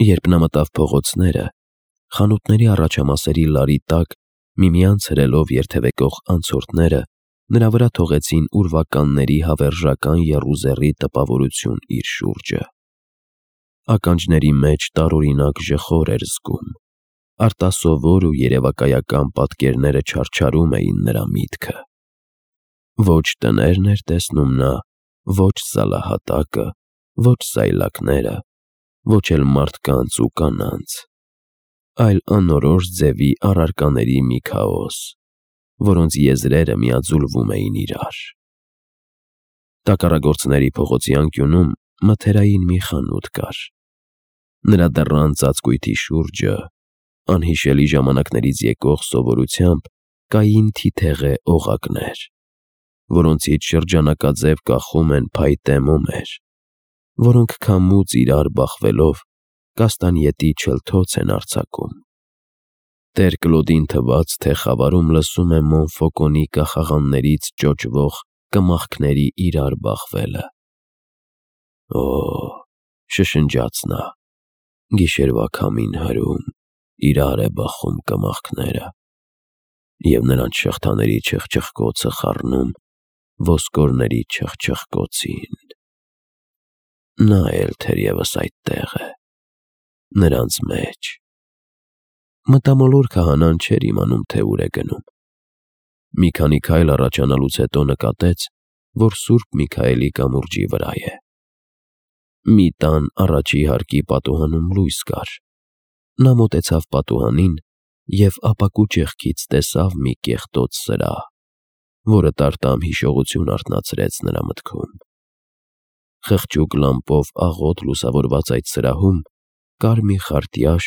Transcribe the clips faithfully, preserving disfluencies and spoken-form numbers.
Երբ նա մտավ փողոցները, խանութների առաջամասերի լարի տակ միմյանց հրելով երթևեկող անցորդները նրա վրա թողեցին ուրվականների հավերժական եռուզեռի տպավորություն իր շուրջը։ Ականջների մեջ տարօրինակ ժխոր էր զգում, արտասովոր ու երևակայական պատկերները չարչարում էին նրա միտքը։ Ոչ տներն էր տեսնում նա, ոչ սալահատակը, ոչ սայլակները, ոչ էլ մարդկանց ու կանանց, այլ անորոշ ձևի առարկաների մի քաոս, որոնց եզրերը միաձուլվում էին իրար։ Տակառագործների փողոցի անկյունում մթերային մի խանութ կար։ Նրա դռան ծածկույթի շուրջը, անհիշելի ժամանակներից եկող սովորությամբ, կային թիթեղե օղակներ, որոնցից շրջանակաձև կախում են փայտե մոմեր, որոնք քամուց իրար բախվելով կաստանյետի չլթոց են արձակում։ Տեր Կլոդին թվաց, թե խավարում լսում է Մոնֆոկոնի կախաղաններից ճոճվող կմախքների իրար բախվելը։ Օ՜, շշնջաց նա, գիշերվա քամին հրում, իրար է բախում կմախքները, և նրանց շղթաների չխչխկոցը խառնում ոսկորների չխչխկոցին։ Նա էլ թերևս այդտեղ է, նրանց մեջ։ Մտամոլոր քահանան չէր իմանում, թե ուր է գնում։ Մի քանի քայլ առաջանալուց հետո նկատեց, որ Սուրբ Միքայելի կամուրջի վրա է։ Մի տան առաջի հարկի պատուհանում լույս կար։ Նա մոտեցավ պատուհանին և ապակու ճեղքից տեսավ մի կեղտոտ սրահ, որը տարտամ հիշողություն արթնացրեց նրա մտքում։ Խղճուկ լամպով աղոտ լուսավորված այդ սրահում կար մի խարտյաշ,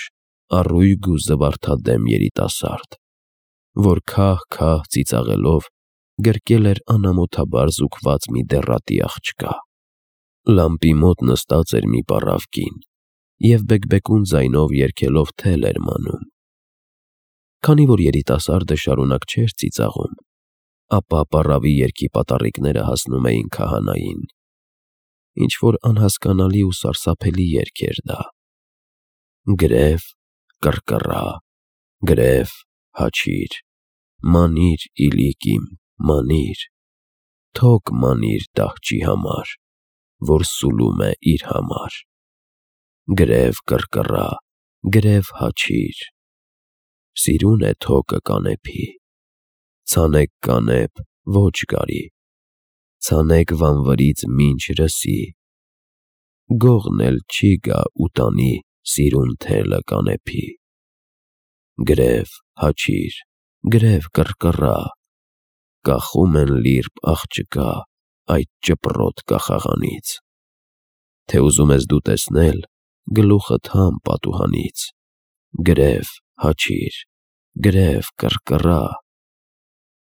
առույգ ու զվարթադեմ երիտասարդ, որ քահ-քահ ծիծաղելով գրկել էր անամոթաբար զուգված մի դեռատի աղջկա։ Լամպի մոտ նստած էր մի պառավ կին և բեկբեկուն ձայնով երգելով թել էր մանում։ Քանի որ երիտասարդը շարունակ չէր ծիծաղում, ապա պառավի երգի պատառիկները հասնում էին քահանային։ Ինչ-որ անհասկանալի ու սարսափելի երգ էր դա. «Գրև, կռկռա, գրև, հաչիր, մանիր, իլիկ իմ, մանիր, թոք մանիր դահճի համար, որ սուլում է իր համար, գրև, կռկռա, գրև, հաչիր, սիրուն է թոքը կանեփի, ցանեք կանեփ, ոչ գարի, ցանեք վանվրից մինչ ռսի, գողն էլ չի գա ուտանի սիրուն թելը կանեփի, գրև, հաչիր, գրև, կռկռա, կախում են լիրբ աղջկա այդ ճպռոտ կախաղանից, թե ուզում ես դու տեսնել, գլուխդ համ պատուհանից, գրև, հաչիր, գրև, կռկռա»։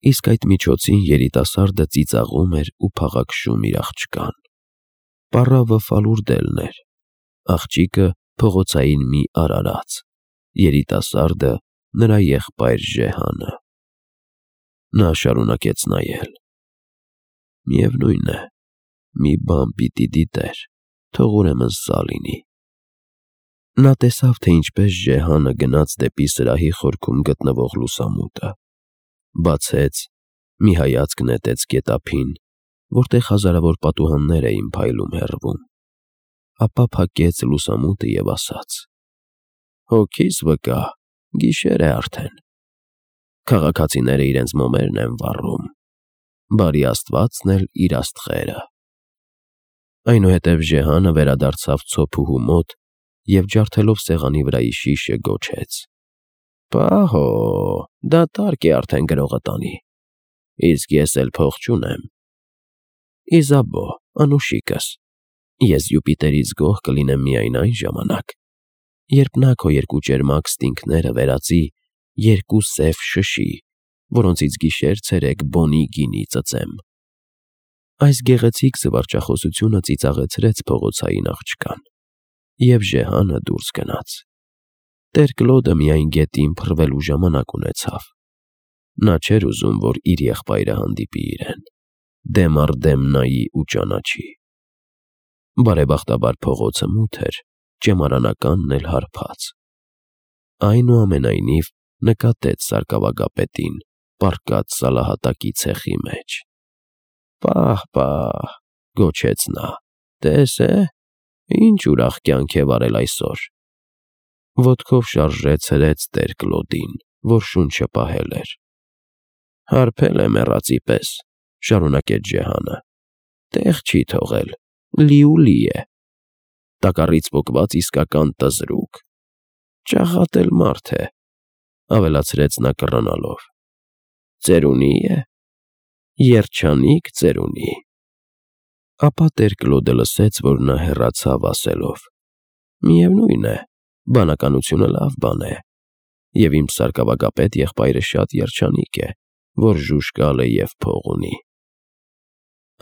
Իսկ այդ միջոցին երիտասարդը ծիծաղում էր ու փաղաքշում իր աղջկան։ Պառավը ֆալուրդելն էր, աղջիկը փողոցային մի արարած, երիտասարդը նրա եղբայր Ժեհանը։ Նա շարունակեց նայել։ Միևնույն է, մի բան պիտի դիտեր, թող ուրեմն սա լինի։ Նա տեսավ, թե ինչպես Ժեհանը գնաց դեպի սրահի խորքում գտնվող լուսամուտը, բացեց, մի հայացք նետեց գետափին, որտեղ հազարավոր պատուհաններ էին փայլում հեռվում, ապա փակեց լուսամուտը և ասաց. «Հոգիս վկա, գիշեր է արդեն։ Քաղաքացիները իրենց մոմերն են վառում, բարի Աստվածն էլ իր աստղերը»։ Այնուհետև Ժեհանը վերադարձավ ցոփուհու մոտ և ջարդելով սեղանի վրայի շիշը գոչեց. «Պահո, դատարկ է արդեն գրողը տանի, իսկ ես էլ փող չունեմ։ Իզաբո, անուշիկս, ես Յուպիտերից գոհ կլինեմ միայն այն ժամանակ, երբ նա քո երկու ճերմակ ստինգները վերածի երկու սև շշի, որոնցից գիշեր֊ցերեկ բոնի գինի ծծեմ»։ Այս գեղեցիկ զվարճախոսությունը ծիծաղեցրեց փողոցային աղջկան, և Ժեհանը դուրս գնաց։ Տեր Կլոդը միայն գետին փռվելու ժամանակ ունեցավ։ Նա չէր ուզում, որ իր եղբայրը հանդիպի իրեն, դեմ առ դեմ նայի ու ճանաչի։ Բարեբախտաբար փողոցը մութ էր, ճեմարանականն էլ հարբած։ Այնուամենայնիվ նկատեց սարկավագապետին, պառկած սալահատակի ցեխի մեջ։ «Պահ, պահ», գոչեց նա, «տես է, ինչ ուրախ կյանք է վարել այսօր»։ Ոտքով շարժեց հրեց Տեր-Կլոդին, որ շունչը պահել էր։ «Հարբել է մեռածի պես», շարունակեց Ջեհանը, «տեղ չի թողել, լիուլի է, տակառից պոկված իսկական տզրուկ, ճաղատել մարդ է», ավելացրեց նա կռանալով, «ծերունի է, երջանիկ ծերունի»։ Ապա Տեր-Կլոդը լսեց, որ նա հեռացավ ասելով. «Միևնույն է, բանականությունը լավ բան է, և իմ սարկավագապետ եղբայրը շատ երջանիկ է, որ ժուժկալ է և փող ունի»։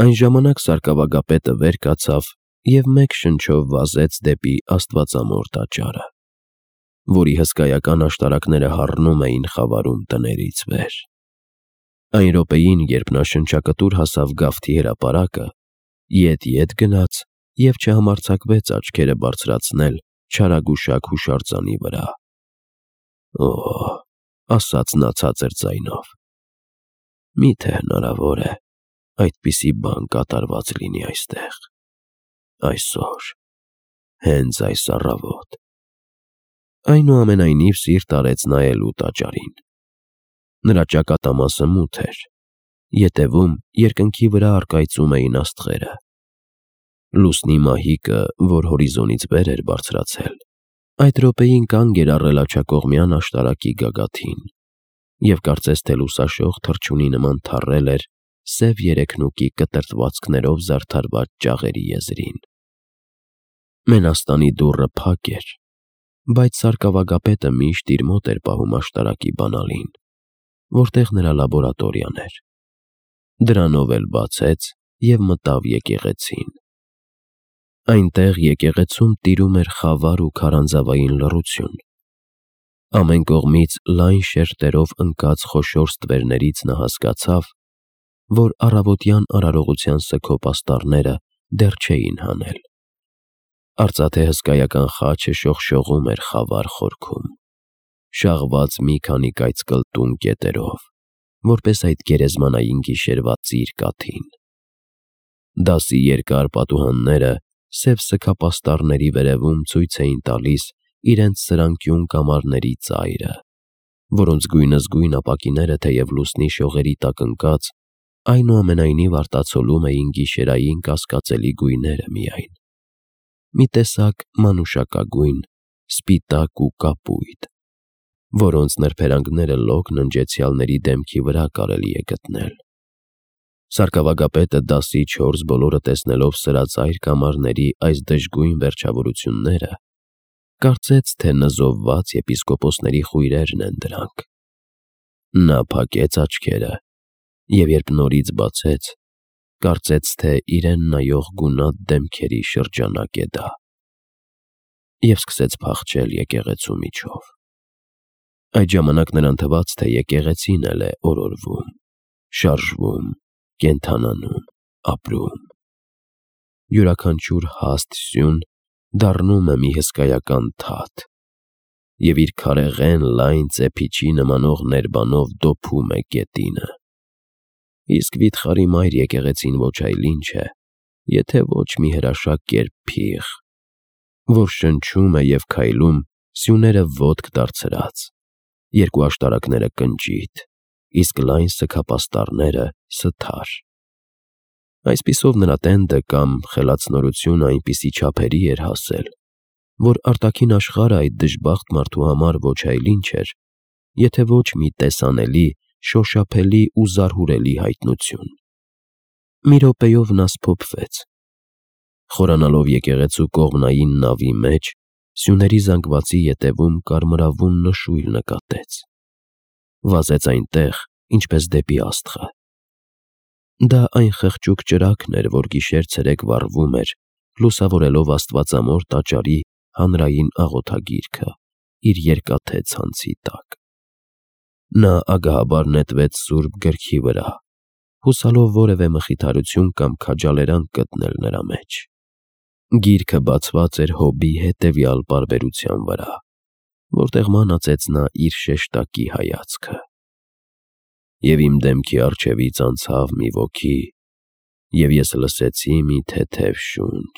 Այն ժամանակ սարկավագապետը վեր կացավ և մեկ շնչով վազեց դեպի Աստվածամոր տաճարը, որի հսկայական աշտարակները հառնում էին խավարում տներից վեր։ Այն րոպեին, երբ նա շնչակտուր հասավ գավթի հրապարակը, ետ-ետ գնաց և չհամարձակվեց աչքերը բարձրացնել չարագուշակ հուշարձանի վրա։ «Օ՜», ասաց նա ցածր ձայնով, «միթե հնարավոր է այդպիսի բան կատարված լինի այստեղ, այսօր, հենց այս առավոտ»։ Այնուամենայնիվ սիրտ արեց նայելու տաճարին։ Նրա ճակատամասը մութ էր, ետևում երկնքի վրա առկայծում էին աստղերը։ Լուսնի մահիկը, որ հորիզոնից վեր էր բարձրացել, այդ րոպեին կանգ էր առել աջակողմյան աշտարակի գագաթին և կարծես թե լուսաշող թռչունի նման թառել էր սև երեքնուկի կտրտվածքներով զարդարված ճաղերի եզրին։ Մենաստանի դուռը փակ էր, բայց սարկավագապետը միշտ իր մոտ էր պահում աշտարակի բանալին, որտեղ նրա լաբորատորիան էր։ Դրանով էլ բացեց և մտավ եկեղեցին։ Այնտեղ եկեղեցում տիրում էր խավար ու քարանձավային լռություն։ Ամեն կողմից լայն շերտերով ընկած խոշոր ստվերներից նա հասկացավ, որ առավոտյան արարողության սգոփ աստառները դեռ չէին հանել։ Արծաթե հսկայական խաչը շողշողում էր խավար խորքում, շաղված մի քանի կայծկլտուն կետերով, որպես այդ գերեզմանային գիշերվա ծիր կաթին։ Դասի երկար պատուհանները սև սգապաստառների վերևում ցույց էին տալիս իրենց սրանկյուն կամարների ծայրը, որոնց գույնզգույն ապակիները, թեև լուսնի շողերի տակ ընկած, այնուամենայնիվ արտացոլում էին գիշերային կասկածելի գույները միայն, մի տեսակ մանուշակագույն, սպիտակ ու կապույտ, որոնց նրբերանգները լոկ ննջեցյալների դեմքի վրա կարելի է գտնել։ Սարկավագապետը դասի չորս բոլորը տեսնելով սրածայր կամարների այս դժգույն վերջավորությունները, կարծեց, թե նզովված եպիսկոպոսների խույրերն են դրանք։ Նա փակեց աչքերը և երբ նորից բացեց, կարծեց, թե իրեն նայող գունատ դեմքերի շրջանակ է դա, և սկսեց փախչել եկեղեցու միջով։ Այդ ժամանակ նրան թվաց, թե եկեղեցին էլ է օրորվում, շարժվում, կենդանանում, ապրում։ Յուրաքանչյուր հաստ սյուն դառնում է մի հսկայական թաթ և իր քարեղեն լայն ծեփիչի նմանող ներբանով դոփում է գետինը։ Իսկ վիթխարի մայր եկեղեցին ոչ այլ ինչ է, եթե ոչ մի հրաշակ կերպ փիղ, որ շնչում է և քայլում սյուները ոտք դարձրած, երկու աշտարակները կնճիտ, իսկ լայն սգապաստառները սթար։ Այսպիսով նրա տենդը կամ խելացնորությունը այնպիսի չափերի էր հասել, որ արտաքին աշխարհը այդ դժբախտ մարդու համար ոչ այլ ինչ էր, եթե ոչ մի տեսանելի, շոշափելի ու զարհուրելի հայտնություն։ Մի րոպեով նա սփոփվեց։ Խորանալով եկեղեցու կողմնային նավի մեջ, սյուների զանգվածի ետևում կարմրավուն նշույլ նկատեց։ Վազեց այնտեղ, ինչպես դեպի աստղը։ Դա այն խղճուկ ճրագն էր, որ գիշեր-ցերեկ վառվում էր, լուսավորելով Աստվածամոր տաճարի հանրային աղոթագիրքը իր երկաթե ցանցի տակ։ Նա ագահաբար նետվեց սուրբ գրքի վրա, հուսալով որևէ մխիթարություն կամ քաջալերանք գտնել նրա մեջ։ Գիրքը բացված էր հոբի հետևյալ պարբերության վրա, որտեղ մանածեց նա իր շեշտակի հայացքը. «Եվ իմ դեմքի առջևից անցավ մի ոգի, և ես լսեցի մի թեթև շունչ,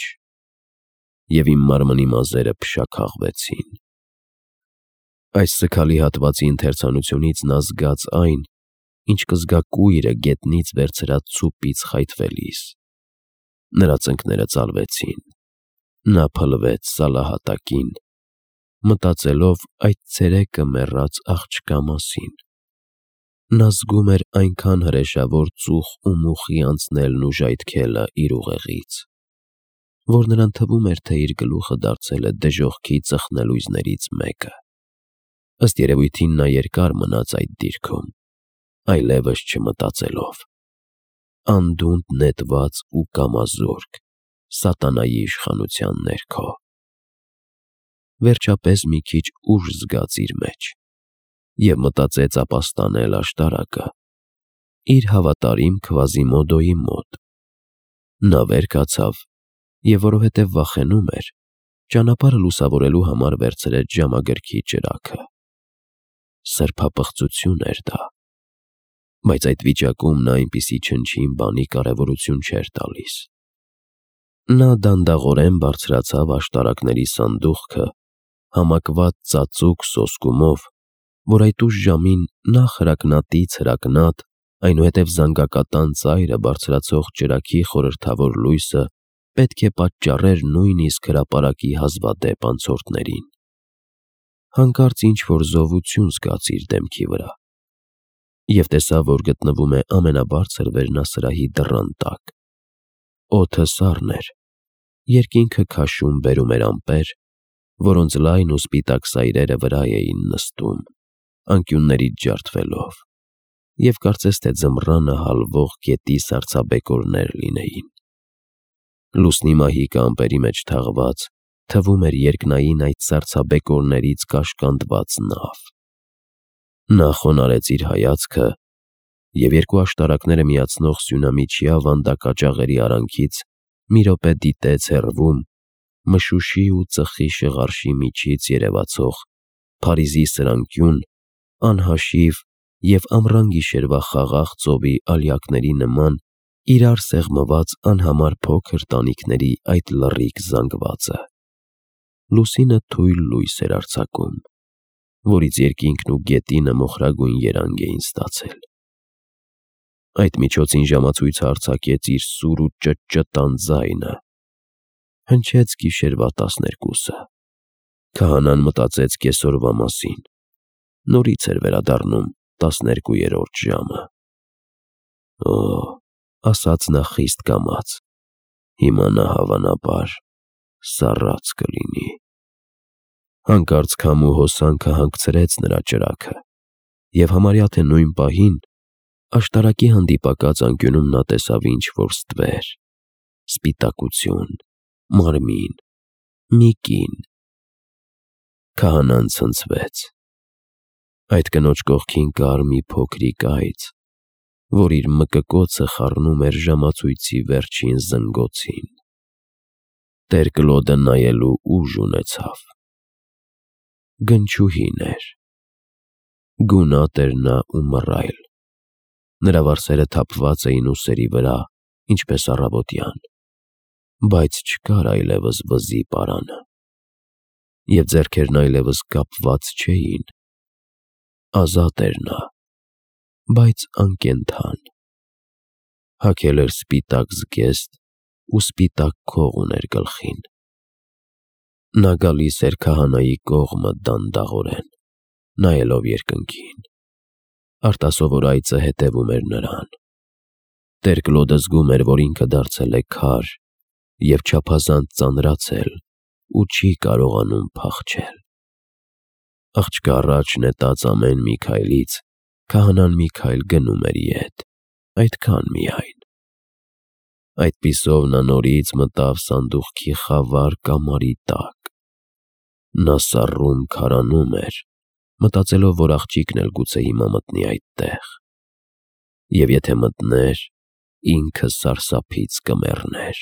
և իմ մարմնի մազերը փշաքաղվեցին»։ Այս սգալի հատվածի ընթերցանությունից նա զգաց այն, ինչ կզգա կույրը գետնից վերցրած ցուպից խայթվելիս։ Նրա ծնկները ծալվեցին, նա փլվեց սալահատակին, մտածելով այդ ցերեկը մեռած աղջկա մասին։ Նա զգում էր այնքան հրեշավոր ծուխ ու մուխի անցնելն ու ժայթքելը իր ուղեղից, որ նրան թվում էր, թե իր գլուխը դարձել է դժոխքի ծխնելույզներից մեկը։ Ըստ երևույթին նա երկար մնաց այդ դիրքում, այլևս չմտածելով, անդունդը նետված ու կամազորկ, սատանայի իշխանության ներքո։ Վերջապես մի քիչ ուժ զգաց իր մեջ և մտածեց ապաստանել աշտարակը իր հավատարիմ Քվազիմոդոյի մոտ։ Նա վեր կացավ և, որովհետև վախենում էր, ճանապարհը լուսավորելու համար վերցրեց ժամագրքի ճրագը։ Սրբապղծություն էր դա, բայց այդ վիճակում նա այնպիսի չնչին բանի կարևորություն չէր տալիս։ Նա դանդաղորեն բարձրացավ աշտարակների սանդուղքը համակված ծածուկ սոսկումով, որ այդ ուշ ժամին նախ հրակնատից հրակնատ, այնուհետև զանգակատան ծայրը բարձրացող ճրագի խորհրդավոր լույսը պետք է պատճառեր նույնիսկ հրապարակի հազվադեպ անցորդներին։ Հանկարծ ինչ-որ զովություն զգաց իր դեմքի վրա և տեսավ, որ գտնվում է ամենաբարձր վերնասրահի դռան տակ։ Օդը սառն էր, երկինքը քաշում բերում էր ամպեր, որոնց լայն ու սպիտակ սայրերը վրա էին նստում, անկյուններից ջարդվելով, և կարծես թե ձմռանը հալվող գետի սառցաբեկորներ լինեին։ Լուսնի մահիկը ամպերի մեջ թաղված, թվում էր երկնային այդ սառցաբեկորներից կաշկանդված նավ։ Նա խոնարհեց իր հայացքը և երկու աշտարակները միացնող սյունամիջյա վանդակաճաղերի արանքից մի րոպե դիտեց հեռվում մշուշի ու ծխի շղարշի միջից երևացող Փարիզի սրանկյուն, անհաշիվ և ամռան գիշերվա խաղաղ ծովի ալյակների նման իրար սեղմված անհամար փոքր տանիքների այդ լռիկ զանգվածը։ Լուսինը թույլ լույս էր արձակում, որից երկինքն ու գետինը մոխրագույն երանգ էին ստացել։ Այդ միջոցին ժամացույցը արձակեց իր սուր ու ճտճտան ձայնը։ Հնչեց գիշերվա տասներկուսը։ Քահանան մտածեց կեսօրվա մասին։ Նորից էր վերադառնում տասներկուերորդ ժամը։ «Օ՜», ասաց նա խիստ կամաց, «հիմա նա հավանաբար սառած կլինի»։ Հանկարծ քամու հոսանքը հանգցրեց նրա ճրագը, և համարյա թե նույն պահին աշտարակի հանդիպակաց անկյունում նա տեսավ ինչ-որ ստվեր, սպիտակություն, մարմին, մի կին։ Քահանան ցնցվեց։ Այդ կնոջ կողքին կար մի փոքրիկ այծ, որ իր մկկոցը խառնում էր ժամացույցի վերջին զնգոցին։ Տեր Կլոդը նայելու ուժ ունեցավ։ Գնչուհին էր։ Գունատ էր նա ու մռայլ։ Նրա վարսերը թափված էին ուսերի վրա, ինչպես առավոտյան, բայց չկար այլևս վզի պարանը, և ձեռքերն այլևս կապված չէին։ Ազատ էր նա, բայց անկենդան։ Հագել էր սպիտակ զգեստ ու սպիտակ քող ուներ գլխին։ Նա գալիս էր քահանայի կողմը դանդաղորեն, նայելով երկնքին։ Արտասովոր այծը հետևում էր նրան։ Տեր Կլոդը զգում էր, որ ինքը դարձել է քար և չափազանց ծանրացել ու չի կարողանում փախչել։ Աղջկա առաջ նետած ամեն մի քայլից քահանան մի քայլ գնում էր ետ, այդքան միայն։ Այդպիսով նա նորից մտավ սանդուղքի խավար կամարի տակ։ Նա սառում քարանում էր, մտածելով, որ աղջիկն էլ գուցե հիմա մտնի այդտեղ, և եթե մտներ, ինքը սարսափից կմեռներ։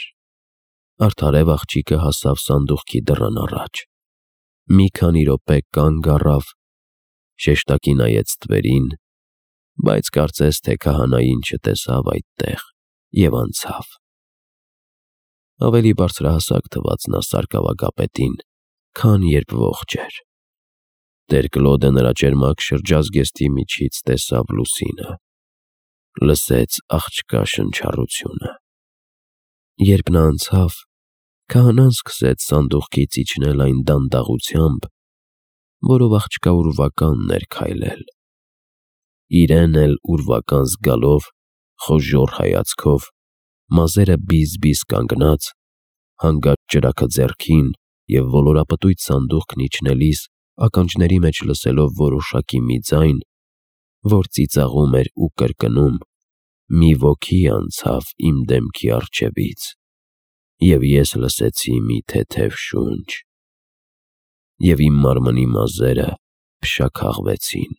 Արդարև աղջիկը հասավ սանդուղքի դռան առաջ։ Մի քանի րոպե կանգ առավ, շեշտակի նայեց ստվերին, բայց կարծես թե քահանային չտեսավ այդտեղ և անցավ։ Ավելի բարձրահասակ թվաց նա սարկավագապետին, քան երբ ողջ էր։ Տեր Կլոդը նրա ճերմակ շրջազգեստի միջից տեսավ լուսինը, լսեց աղջկա շնչառությունը։ Երբ նա անցավ, քահանան սկսեց սանդուղքից իջնել այն դանդաղությամբ, որով աղջկա ուրվականն էր քայլել։ Իրեն էլ ուրվական զգալով, խոժոռ հայացքով, մազերը բիզ-բիզ կանգնած, հանգած ճրագը ձեռքին և ոլորապտույտ սանդուղքն իջնելիս ականջների մեջ լսելով որոշակի մի ձայն, որ ծիծաղում էր ու կրկնում. «Մի ոգի անցավ իմ դեմքի առջևից, և ես լսեցի մի թեթև շունչ, և իմ մարմնի մազերը փշաքաղվեցին»։